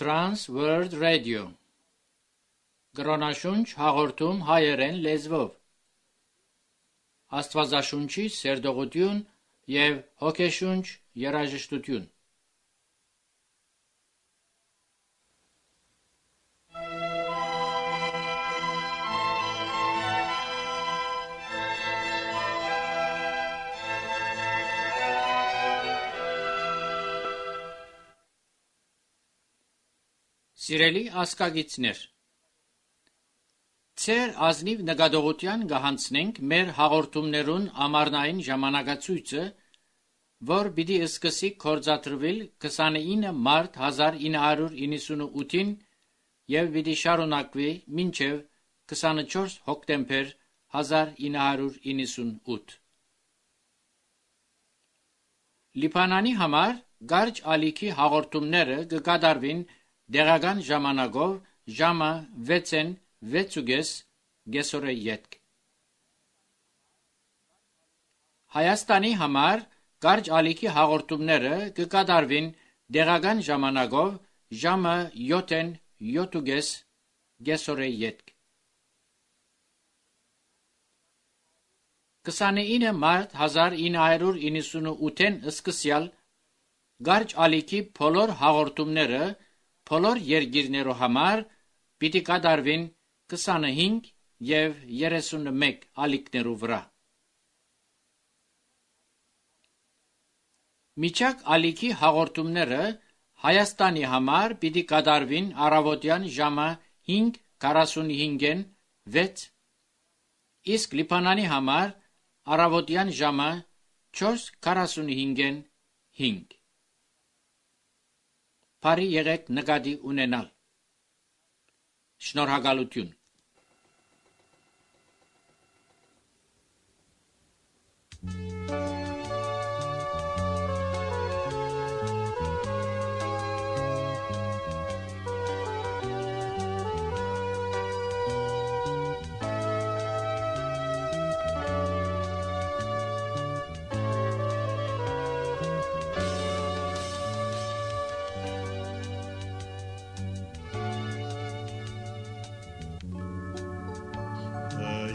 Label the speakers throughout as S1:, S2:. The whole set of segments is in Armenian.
S1: Trans World Radio Գրոնաշունչ հաղորդում հայերեն լեզվով Աստվածաշունչի սերտողություն և հոգեշունչ երաժշտություն Սիրելի ասկագիցներ, Ձեր ազնիվ նկատողության կհանձնենք մեր հաղորդումներուն ամառնային ժամանակացույցը, որ պիտի սկսի գործադրվել 29 մարտ 1998-ին և պիտի շարունակվի մինչև 24 հոկտեմբեր 1998։ Լիբանանի համար կարճ ալիքի հաղորդումները կկատարվին դեղական ժամանակով ժամը 6:06 գեսորե ետք։ Հայաստանի համար կարճ ալիքի հաղորդումները կկատարվին դեղական ժամանակով ժամը 7:07 գեսորե ետք։ 29 մարտ 1998-ին սկսյալ կարճ ալիքի բոլոր հաղորդումները բոլոր երկիրներու համար պիտի կատարվին 25 և 31 ալիքներու վրա։ Միջակ ալիքի հաղորդումները Հայաստանի համար պիտի կատարվին առավոտյան ժամը 5:45-ին 6, իսկ Լիբանանի համար առավոտյան ժամը 4:45-ին 5։ Բարի եղեք նկատի ունենալ։ Շնորհակալություն։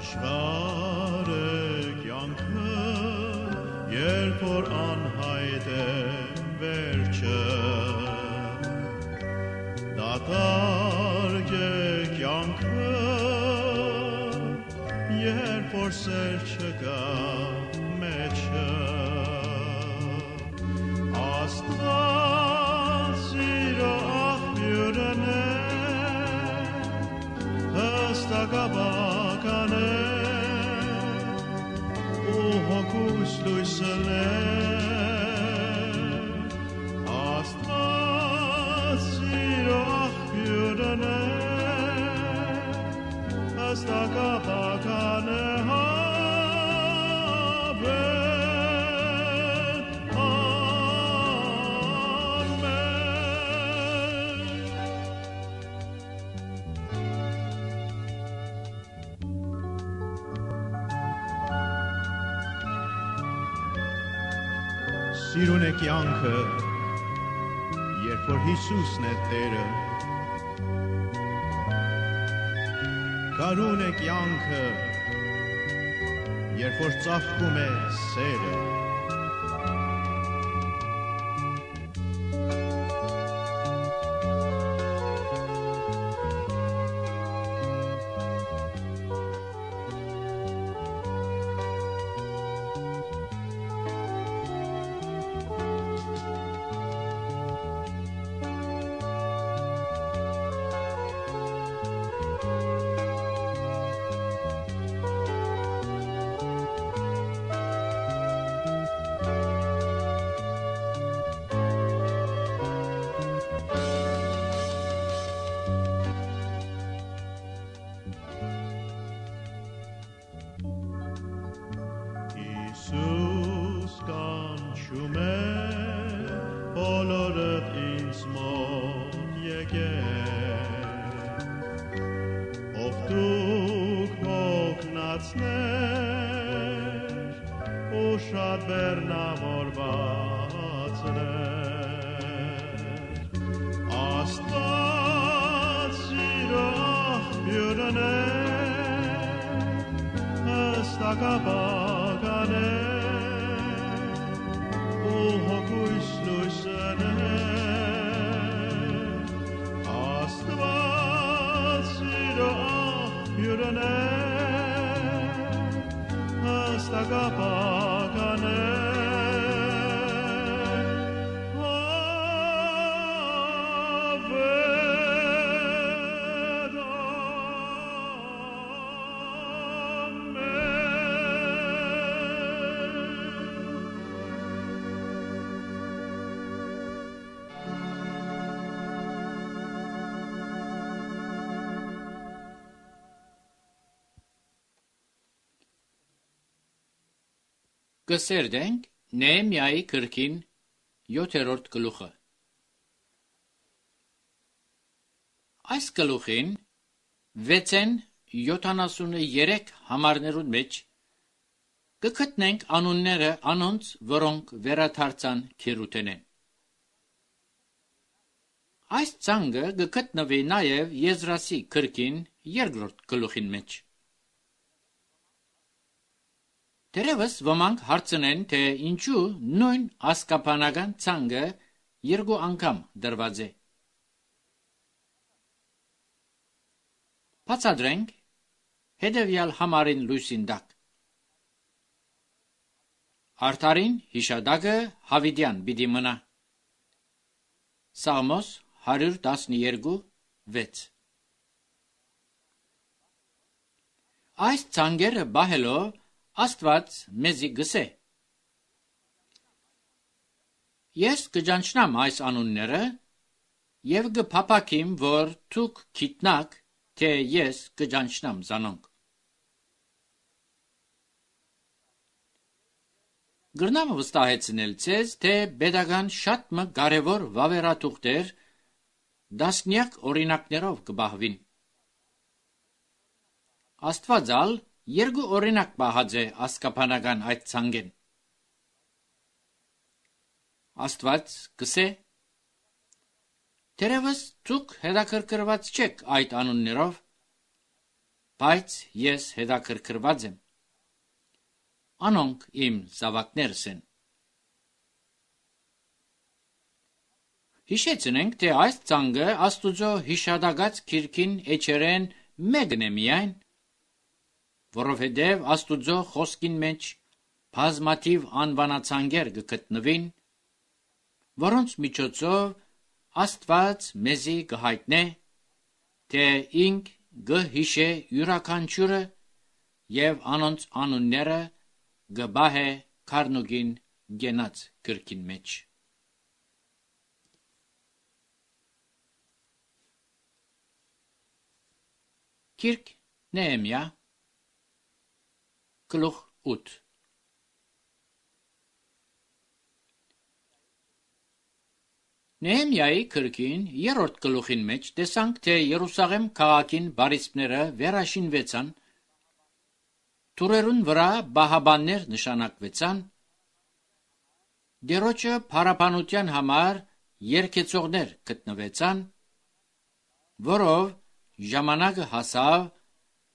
S2: Դժվար է կյանքը, երբ որ անհայտ է վերջը, դատարկ է կյանքը, երբ որ սեր չկա մեջը, Աստված սիրո աղբյուրն է, հստակաբան է, Հոգուս լույսն է, Աստված սիրո աղբյուրն է, հստակաբան է, Սիրուն է կյանքը, երբ որ Հիսուսն է Տերը, Կարուն է կյանքը, երբ որ ծաղկում է սերը, Հիսուս կանչում է, բոլորդ ինձ մոտ եկեք, ով դուք հոգնածներ, ու շատ բեռնավորվածներ, Աստված Աստագաբագանե ու հոգույս լույսանե Աստված սիրո աղբյուրն է Աստագաբագանե
S1: Կսերդենք Նեեմիայի գրքին 7-րդ գլուխը։ Այս գլուխին 6-73 համարներուն մեջ կգտնենք անունները անոնց, որոնք վերադարձան քերութենեն։ Այս ցանկը կգտնվի նաև Եզրասի գրքին 2-րդ գլուխին մեջ։ Դերևս ոմանք հարցնեն, թե ինչու նույն ասկապանական ցանկը երկու անգամ դրված է։ Բացատրենք հետևյալ համարին լույսին տակ։ Արդարին հիշադակը Հավիդյան պիտի մնա։ Սաղմոս 112:6 Այս ցանկերը բահելով Աստված մեզի գսե. Ես կճանչնամ այս անունները և կփափակիմ, որ դուք գիտնաք, թե ես կճանչնամ զանոնք։ Գրնամ վստահեցնել ձեզ, թե պետական շատ մը կարևոր վավերաթուղթեր դասնյակ օրինակներով կբահվին։ Աստվածալ երկու օրինակ պահած է ասկապանական այդ ցանկեն։ Աստված գսե. Դերևս դուք հետաքրքրված չեք այդ անուններով, բայց ես հետաքրքրված եմ։ Անոնք իմ զավակներս են։ Հիշեցնենք, թե այս ցանկը Աստուծո հիշադակած գիրքին էջերեն մեկն է միայն, որովհետև Աստուծո խոսքին մեջ բազմաթիվ անվանացանկեր կգտնվին, որոնց միջոցով Աստված մեզի կհայտնե, թե ինք կհիշե յուրաքանչյուրը և անոնց անունները կբահե քառնուկին գենած գրքին մեջ։ Գիրք Նեեմիա գլուխ 8 Նեեմիայի գրքին 3-րդ գլուխին մեջ տեսանք, թե Երուսաղեմ քաղաքին բարիսպները վերաշինվեցան, թուրերուն վրա բահաբաններ նշանակվեցան, Տերոջը փառաբանության համար երգեցողներ գտնվեցան, որով ժամանակը հասավ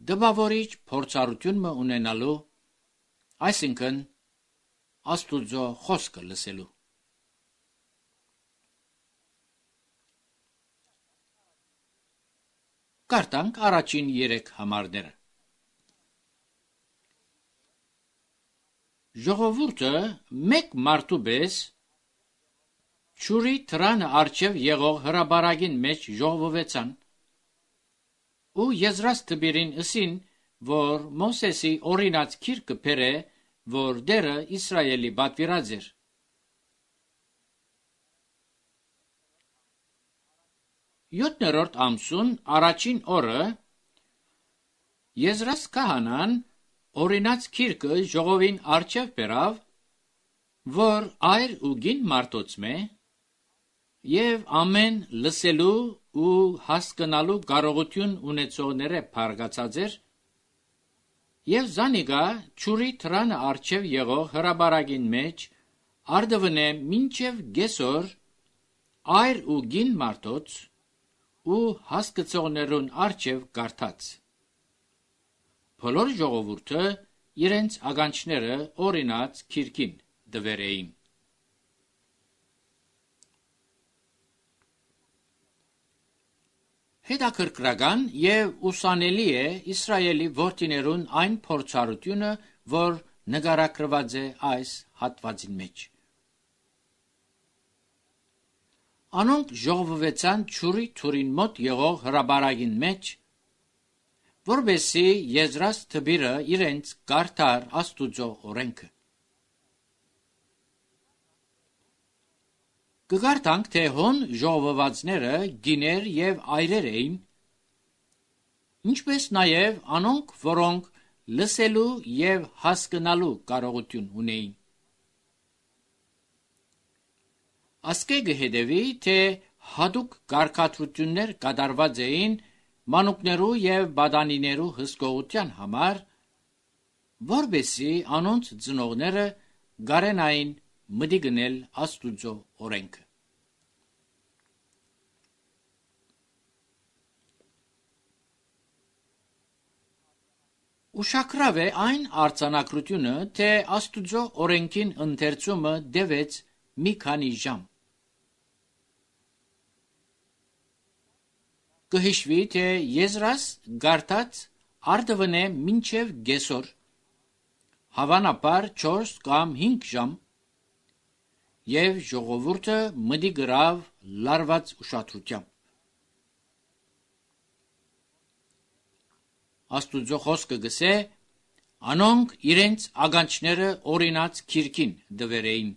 S1: դպավորիչ փորձառություն ունենալու, այսինքն Աստուծո խոսքը լսելու։ Կարդանք առաջին 3 համարները։ Ժողովուրդը մեկ մարդու պես ճուրի թրանը առջև եղող հրաբարագին մեջ ժողվվեցան ու Եզրաս տբիրին ըսին, որ Մովսեսի օրինած գիրքը բերե, որ դերը Իսրայելի պատվիրած էր։ Յոթներորդ ամսուն առաջին օրը Եզրաս քահանան օրինած գիրքը ժողովին առջև բերավ, որ այր ու գին մարդոցմե և ամեն լսելու ու հասկանալու կարողություն ունեցողները փարգացած էր, և զանիկա ճուրի թրանը առջև եղող հրաբարագին մեջ արդվնե մինչև գեսոր այր ու գին մարդոց ու հասկացողներուն առջև կարդաց։ Բոլոր ժողովուրդը իրենց ագանչները օրինաց քիրքին դվերեին։ Հետաքրքրական եւ ուսանելի է Իսրայելի որդիներուն այն փորձառությունը, որ նկարագրված է այս հատվածին մեջ։ Անոնք ժողովվեցան ճուրի թուրին մոտ եղող հրաբարագին մեջ, որբեսի Եզրաս թբիրը իրենց կարդար Աստուծո օրենքը։ Կգարտանք, թե հոն ժողովվածները գիներ եւ այրեր էին, ինչպես նաեւ անոնք, որոնք լսելու եւ հասկանալու կարողություն ունեին։ Ասկեգը հետևի, թե հատուկ կարգադրություններ կատարված էին մանուկներու եւ բադանիներու հսկողության համար, որբեսի անոնց ծնողները գարենային մտիգնել Աստուծո օրենքը։ Ուշագրավ է այն արձանագրությունը, թե Աստուծո օրենքին ընթերցումը դեվեց մի քանի ժամ։ Կհիշվի, թե Եզրաս գարտած արդվնե մինչև գեսոր, հավանաբար 4 կամ 5 ժամ, եւ ժողովուրդը մտի գրավ լարված ուշադրությամբ։ Աստուծո խոսքը գսե, անոնք իրենց ագանչները օրինաց քիրքին դվերեին։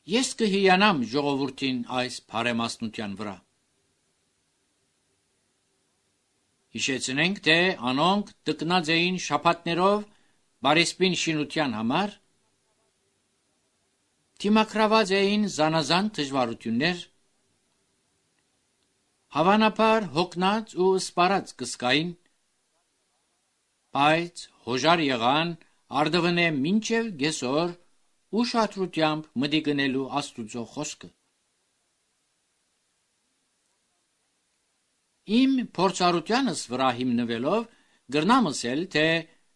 S1: Ես կհիանամ ժողովուրդին այս բարեմասնության վրա։ Հիշեցնենք, թե անոնք տկնած էին շաբաթներով բարեսպին շինության համար, թիմակրաված էին զանազան դժվարություններ, հավանաբար հոգնած ու սպարած կսկային, բայց հոժար եղան արդվնե մինչև գեսոր ուշադրությամբ մտիգնելու Աստուծո խոսքը։ Իմ փորձառությանս վրա հիմնվելով գրնամ ասել, թե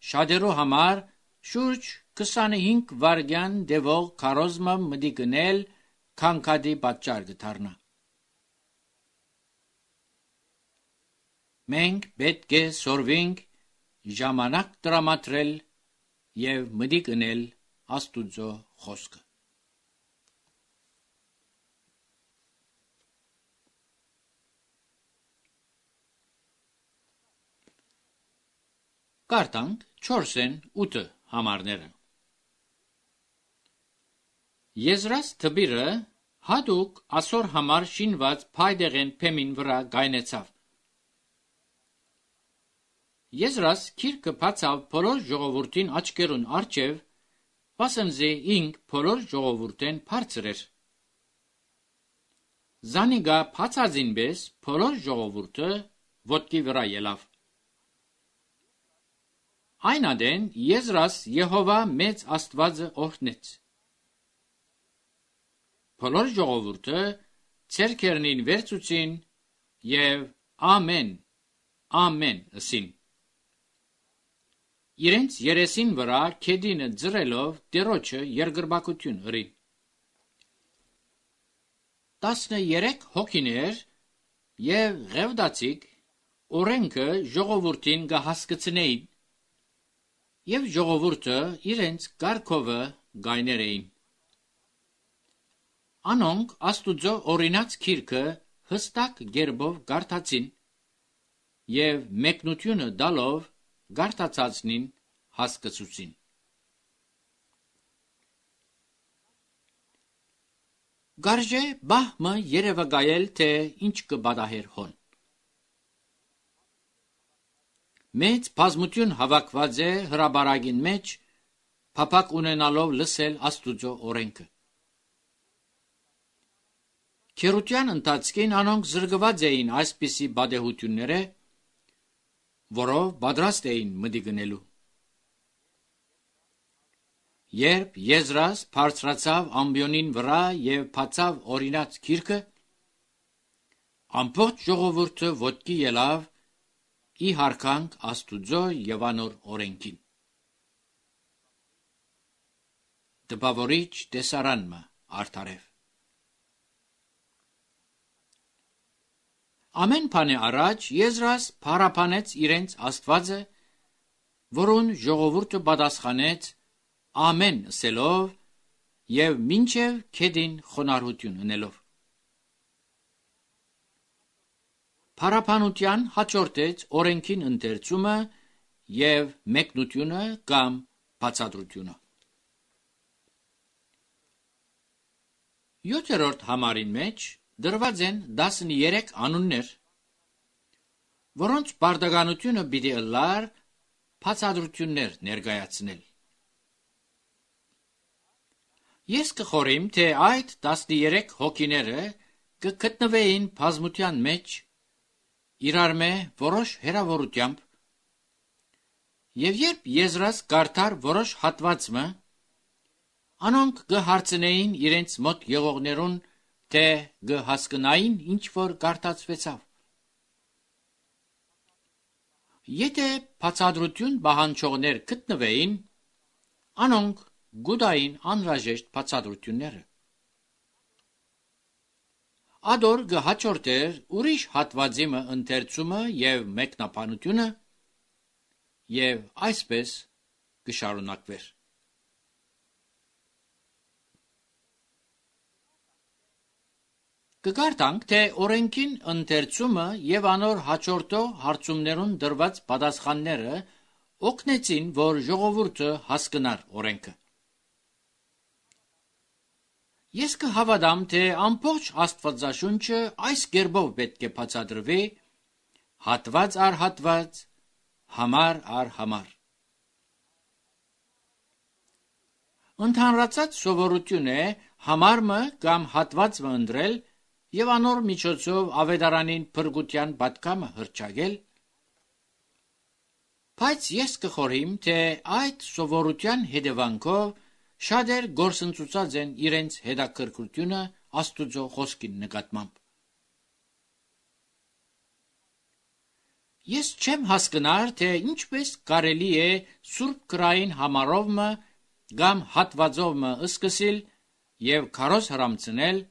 S1: շատերու համար շուրջ 25 վայրկյան դևող քարոզմը մտիգնել քանքադի պատճառ կդառնա։ Մենք պետք է սորվենք ժամանակ տրամադրել եւ մտիգնել Աստուծո խոսքը։ Կարդանք 4-ն 8 համարները։ Եզրաս թբիրը հատուկ ասոր համար շինված փայդեղեն փեմին վրա գայնեցավ։ Եզրաս քիրքը բացավ բոլոր ժողովրդին աչքերուն առջև, վասնզի ինք բոլոր ժողովուրդեն բարձր էր։ Զանիգա բացածին պես բոլոր ժողովուրդը ոտքի վրա ելավ։ Այն ադեն Եզրաս Եհովա մեծ Աստվածը օրհնեց։ Բոլոր ժողովուրդը ցերկերնին վերցուցին եւ ամեն, ամեն ըսին։ Իրենց երեսին վրա քեդինը ձրելով Տերոջը երկրպագություն հրին։ 13 հոգիներ եւ ղևդացիկ օրենքը ժողովուրդին կհասկացնեին, եւ ժողովուրդը իրենց կարգովը գայներ էին։ Անոնք Աստուծո օրինաց քիրքը հստակ գերբով գարտացին եւ մեկնությունը դալով գարտացածնին հասկացուցին։ Գարժե բահմը երևակայել, թե ինչ կբադահեր հոն։ Մեծ բազմություն հավաքված է հրաբարագին մեջ, փափակ ունենալով լսել Աստուծո օրենքը։ Քերության ընթացքին անոնք զրկված էին այսպիսի բադեհությունները, որով պատրաստ էին մտիգնելու։ Երբ Եզրաս բարձրացավ ամբիոնին վրա եւ բացավ օրինաց քիրքը, ամբողջ ժողովուրդը ոտքի ելավ ի հարկանք Աստուծո եւ անոր օրենքին։ Դպավորիչ տեսարանմը արդարև։ Ամեն բանի առաջ Եզրաս փարապանեց իրենց Աստվածը, որուն ժողովուրդը պատասխանեց ամեն ասելով եւ մինչև քեդին խոնարհություն ունելով։ Փարապանության հաջորդեց օրենքին ընթերցումը եւ մեկնությունը կամ բացատրությունը։ 7-րդ համարին մեջ դրված են 13 անուններ, որոնց բարդականությունը պիտի ըլլար բացատրություններ ներկայացնել։ Ես կխորիմ, թե այդ 13 հոգիները կգտնվեին բազմության մեջ իրար մե որոշ հեռավորությամբ, եւ երբ Եզրաս կարդար որոշ հատվածը, անոնք կհարցնեին իրենց մոտ եղողներուն, թե կհասկնային ինչ որ կարդացվեցավ։ Եթե բացատրություն պահանջողներ գտնվեին, անոնք գուտային անհրաժեշտ բացատրությունները։ Ադոր կհաջորդեր ուրիշ հատվածիմը ընթերցումը եւ մեկնաբանությունը եւ այսպես կշարունակվեր։ Կգարտանք, թե օրենքին ընթերցումը եւ անոր հաջորդող հարցումներուն դրված պատասխանները օգնեցին, որ ժողովուրդը հասկնար օրենքը։ Ես կհավատամ, թե ամբողջ Աստվածաշունչը այս կերպով պետք է բացատրվի, հատված առ հատված, համար առ համար։ Ընդհանրացած սովորություն է համարը կամ հատվածը ընտրել եւ անոր միջոցով ավետարանին փրկության պատգամը հրճագել, բայց ես կխորհիմ, թե այդ սովորության հետևանքով շատեր գործընծուցած են իրենց հետաքրքրությունը Աստուծո խոսքին նկատմամբ։ Ես չեմ հասկնար, թե ինչպես կարելի է Սուրբ Գրային համարովը կամ հատվածովը սկսել եւ քարոզ հրամցնել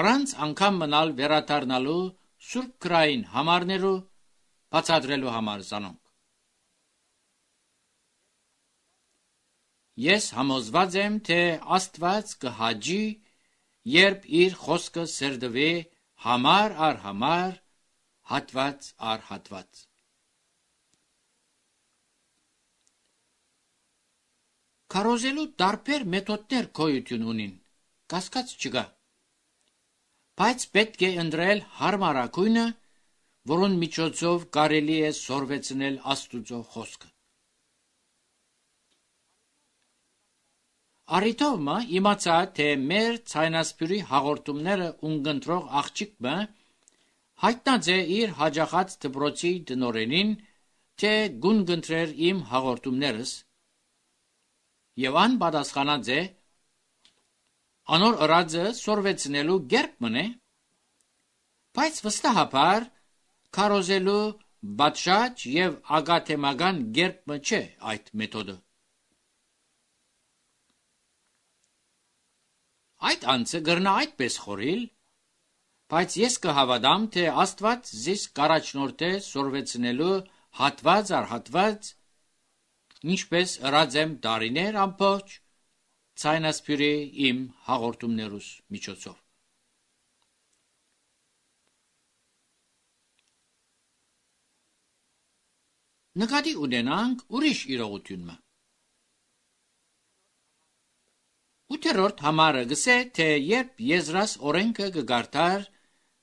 S1: առանց անգամ մնալ վերադառնալու Սուրբ Գրային համարներու բացատրելու համար զանոնք։ Ես համոզված եմ, թե Աստված կհաջի, երբ իր խոսքը սերդվի համար առ համար, հատված առ հատված։ Քարոզելու տարբեր մեթոդներ գոյություն ունին, կասկած չկա, բայց պետք է ընտրել հարմարակույնը, որոնց միջոցով կարելի է սորվեցնել Աստուծո խոսքը։ Արիթովը իմացա, թե մեր ցայնասպյուրի հաղորդումները ունկնդրող աղջիկը հայտնած է իր հաջախած դպրոցի տնօրենին, թե գունկնդրեր իմ հաղորդումներս, եւ ան պատասխանած է, անոր ըրածը սորվեցնելու գերբն է, բայց վստահաբար քարոզելու բացշաճ եւ ագաթեմական գերբը չէ այդ մեթոդը։ Այդ անձը գրնա այդպես խորիլ, բայց ես կհավատամ, թե Աստված զիս կառաջնորդ է սորվեցնելու հատված առ հատված, ինչպես ըրած եմ տարիներ ամբողջ ցայնասպյուրի իմ հաղորդումներուս միջոցով։ Նկատի ունենանք ուրիշ իրողությունը։ 8-րդ համարը գսե, թե երբ Եզրաս օրենքը կգարտար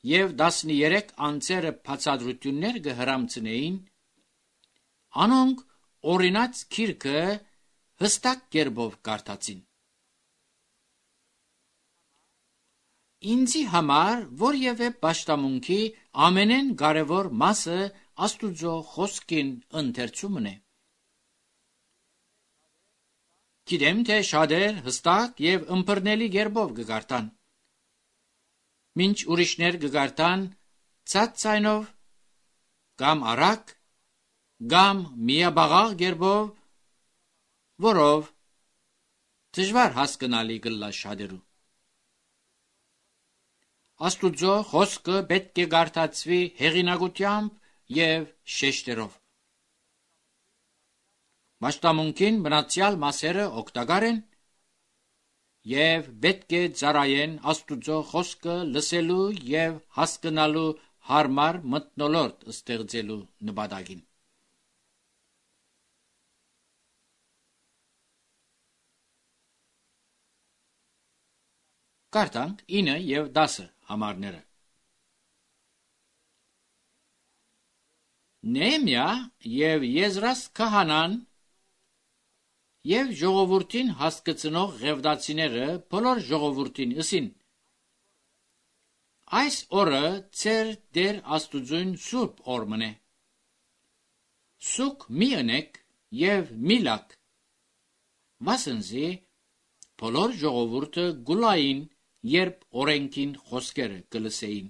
S1: եւ 13 անձերը բացատրություններ կհրամցնեին, անոնք օրինաց քիրքը հստակ կերպով կարդացին։ Ինձի համար որևէ պաշտամունքի ամենեն կարևոր մասը Աստուծո խոսքին ընթերցումն է։ Գիտեմ, թե շատեր հստակ եւ ըմբռնելի կերպով կգարտան, մինչ ուրիշներ կգարտան ցած ցայնով կամ արագ կամ միաբաղաղ գերբով, որով դժվար հասկանալի կլա շատերու։ Աստուծո խոսքը պետք է գարթացվի հեղինակությամբ եւ շեշտերով։ Մաշտամունքին մնացյալ մասերը օգտակար են եւ պետք է ծառայեն Աստուծո խոսքը լսելու եւ հասկանալու հարմար մթնոլորտ ստեղծելու նպատակին։ Կարդանք 9 եւ 10 համարները։ Նեհեմիա եւ Եզրաս քահանան եւ ժողովրդին հասկացնող ղևտացիները բոլոր ժողովրդին ըսին. այս օրը ծեր Տեր Աստուծուն սուրբ օր մնե։ Սուկ մի ընեք եւ մի լաք, վասնզի բոլոր ժողովուրդը գուլային, երբ օրենքին խոսքերը կլսեին։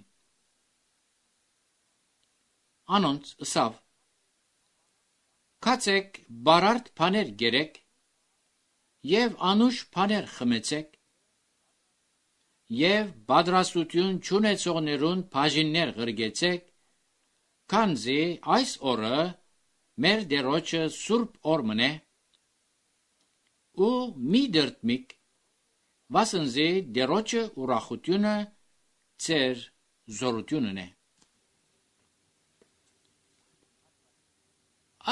S1: Անոնց ըսավ. Կացեք բարարդ բաներ գերեք եւ անուշ բաներ խմեցեք եւ պատրաստություն չունեցողներուն բաժիններ ղրգեցեք, քանզի այս օրը մեր Տերոջը սուրբ օր մնե, ու մի դրտմիկ, վասնզի Տերոջը ուրախությունը ծեր զորությունն է։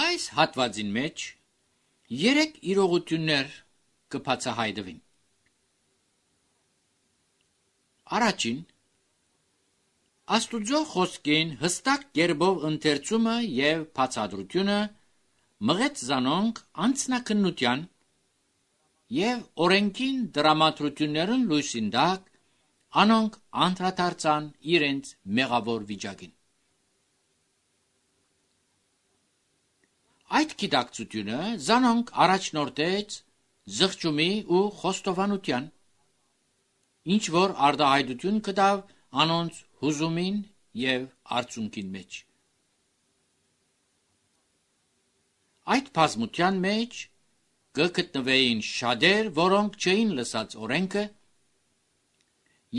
S1: Այս հատվածին մեջ 3 իրողություններ կբացահայտվին։ Առաջին, Աստուծո խոսքին հստակ կերպով ընթերցումը եւ բացատրությունը մղեց զանոնք անձնակնության եւ օրենքին դրամատրություններն լույսին տակ, անոնք անդրադարձան իրենց մեղավոր վիճակին։ Այդ գիտակցությունը զանոնք առաջնորդեց զղջումի ու խոստովանության, ինչ որ արտահայտություն կտավ անոնց հուզումին եւ արցունքին մեջ։ Այդ բազմության մեջ կգտնվեին շատեր, որոնք չէին լսած օրենքը,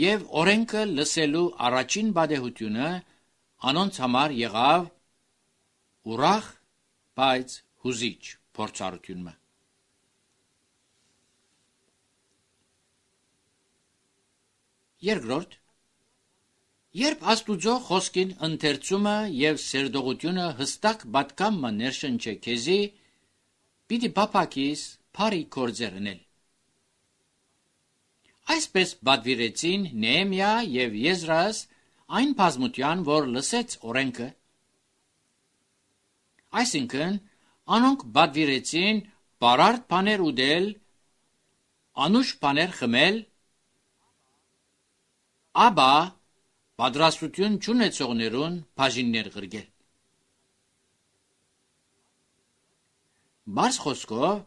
S1: եւ օրենքը լսելու առաջին բադեհությունը անոնց համար եղավ ուրախ, բայց հուզիչ փորձառությունը։ Երկրորդ, երբ Աստուծո խոսքին ընթերցումը եւ սերտողությունը հստակ պատկամը ներշնչե քեզի, պիտի բապակիս բարի գործեր անել։ Այսպես պատվիրեցին Նեհեմիա եւ Եզրաս այն բազմության, որ լսեց օրենքը, այսինքն անոնք պատվիրեցին բարարդ բաներ ուտել, անուշ բաներ խմել, ապա պատրաստություն չունեցողներուն բաժիններ ղրգել։ Բարձ խոսքով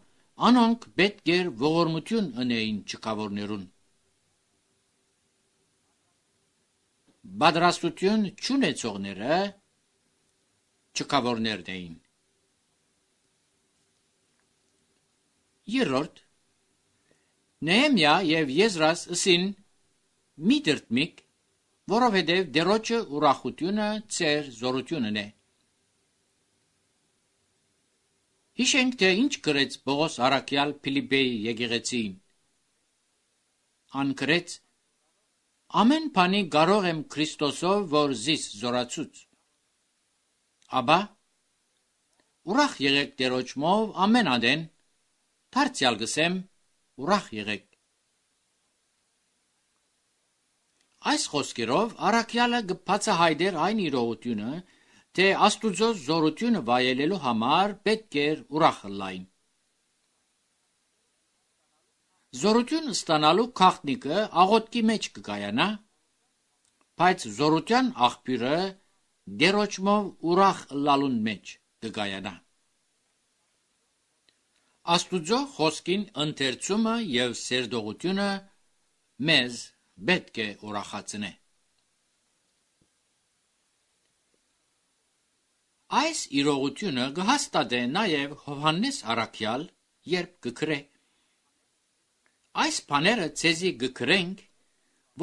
S1: անոնք պետք էր ողորմություն ունեին չկավորներուն։ Պատրաստություն չունեցողները չկավորներն էին։ Երրորդ, Նեհեմիա եւ Եզրաս ըսին մի դրտմիկ, որովհետև Տերոջը ուրախությունը ծեր զորությունն է։ Հիշենք, թե ինչ գրեց Պողոս առաքյալ Փիլիպպեի եկեղեցին։ Ան գրեց. ամեն բանի կարող եմ Քրիստոսով, որ զիս զորացուց։ Աբա ուրախ եղեք Տերոջմով ամեն ադեն, դարձյալ գսեմ ուրախ եղեք։ Այս խոսքերով առաքյալը կբացահայտեր այն իրողությունը, թե Աստուծո զորությունը վայելելու համար պետք էր ուրախ լայն։ Զորություն ստանալու քաղտնիկը աղոթքի մեջ կկայանա, բայց զորության աղբյուրը Տերոջմով ուրախ լալուն մեջ կկայանա։ Աստուծո խոսքին ընթերցումը եւ սերտողությունը մեզ պետք է ուրախացնե։ Այս իրողությունը կհաստատե նաև Հովհաննես առաքյալ, երբ կգրե. Այս բաները ցեզի կգրենք,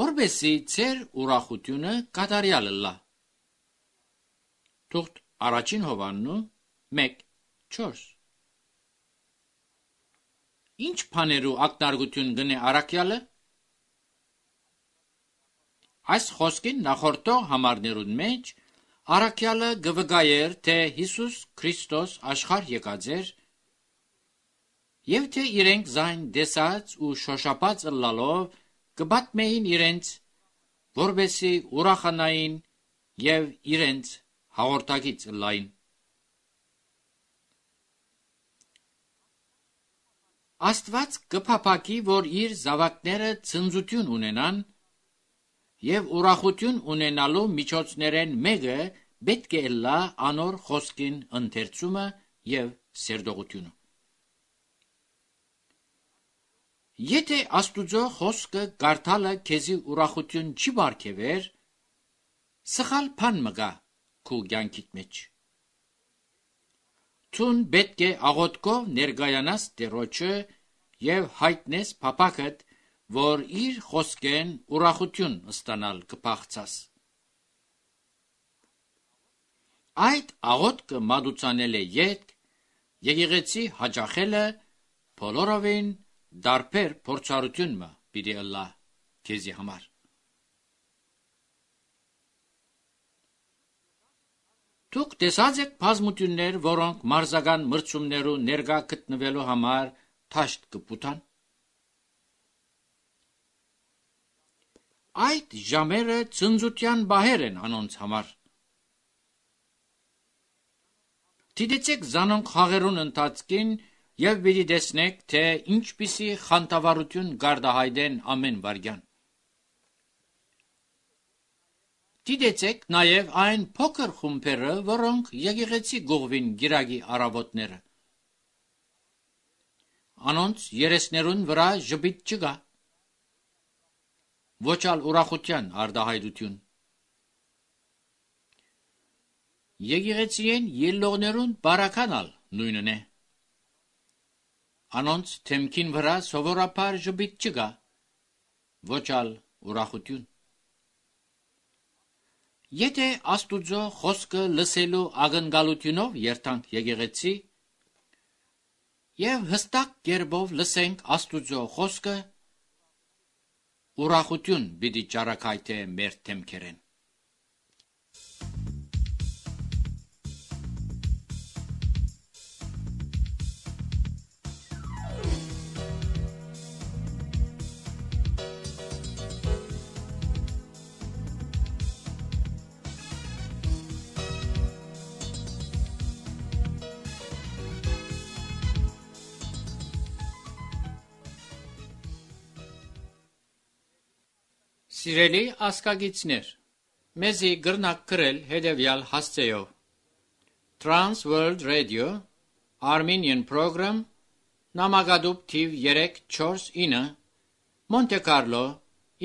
S1: որպեսզի ձեր ուրախությունը կատարյալ լա։ Թուղթ առաջին Հովհաննու 1:4 Ինչ բաներու ակնարկություն գնե առաքյալը։ Այս խոսքին նախորդող համարներուն մեջ առաքյալը գվգայեր, թե Հիսուս Քրիստոս աշխարհ եկած էր, եւ թե իրենք զայն դեսած ու շոշափած ըլլալով կպատմեին իրենց, որպեսզի ուրախանային եւ իրենց հաղորդակից ըլլային։ Աստված կփափակի, որ իր զավակները ցնծություն ունենան, եւ ուրախություն ունենալու միջոցներեն մեկը պետք է լա անոր խոսքին ընթերցումը եւ սերտողությունը։ Եթե Աստուծո խոսքը կարդալը քեզի ուրախություն չի բարգեւեր, սխալ բան մգա քու կյանքիդ մեջ։ Ցուն պետք է աղոթքով ներգայանաս Տերոջը եւ հայտնես փափակդ, որ իր խոսքեն ուրախություն ստանալ կփախցաս։ Այդ աղոթքը մատուցանել է յետ, եկեղեցի հաջախելը բոլորովին դարբեր փորձառություն մը պիտի ըլլա քեզի համար։ Դուք տեսած եք բազմություններ, որոնք մարզական մրցումներու ներկա գտնվելու համար թաշտ կպուտան։ Այդ ժամերը ցնծության բահեր են անոնց համար։ Դիտեցեք զանոնք խաղերուն ընթացքին եւ պիտի տեսնեք, թե ինչպիսի խանդավառություն գարդահայտեն ամեն վարյան։ Դիտեցեք նաեւ այն փոքր խումբերը, որոնք եկեղեցի գողվին գիրագի առավոտները։ Անոնց երեսներուն վրա ժպիտ չկա, ոչ ալ ուրախության արդահայտություն։ Եկեղեցիեն ելլողներուն բարականալ նույնն է։ Անոնց թեմքին վրա սովորաբար ժպիտ չկա, ոչ ալ ուրախություն։ Եթե Աստուծո խոսքը լսելու ակնկալությունով երթանք եկեղեցի եւ հստակ կերպով լսենք Աստուծո խոսքը, ուրախություն պիտի ճարակայթե մեր թեմքերեն։ Սիրելի ասկագիցներ, մեզի գրնակ գրել հետևյալ հասցեով. Trans World Radio, Armenian Program, նամակադուփ թիվ 349, Monte Carlo,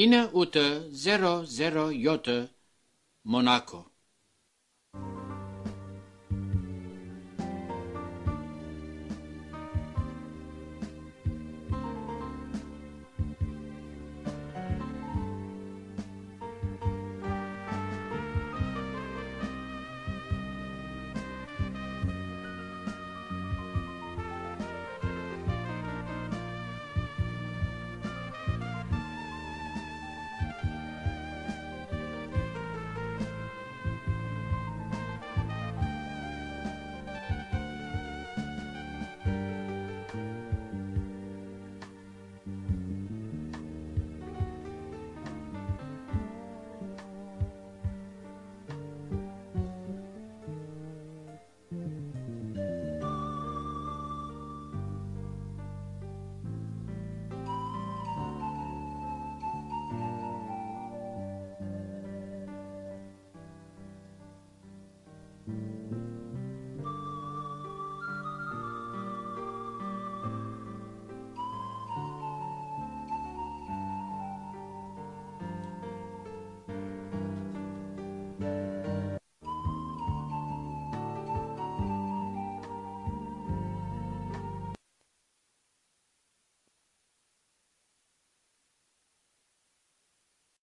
S1: 9807, Monaco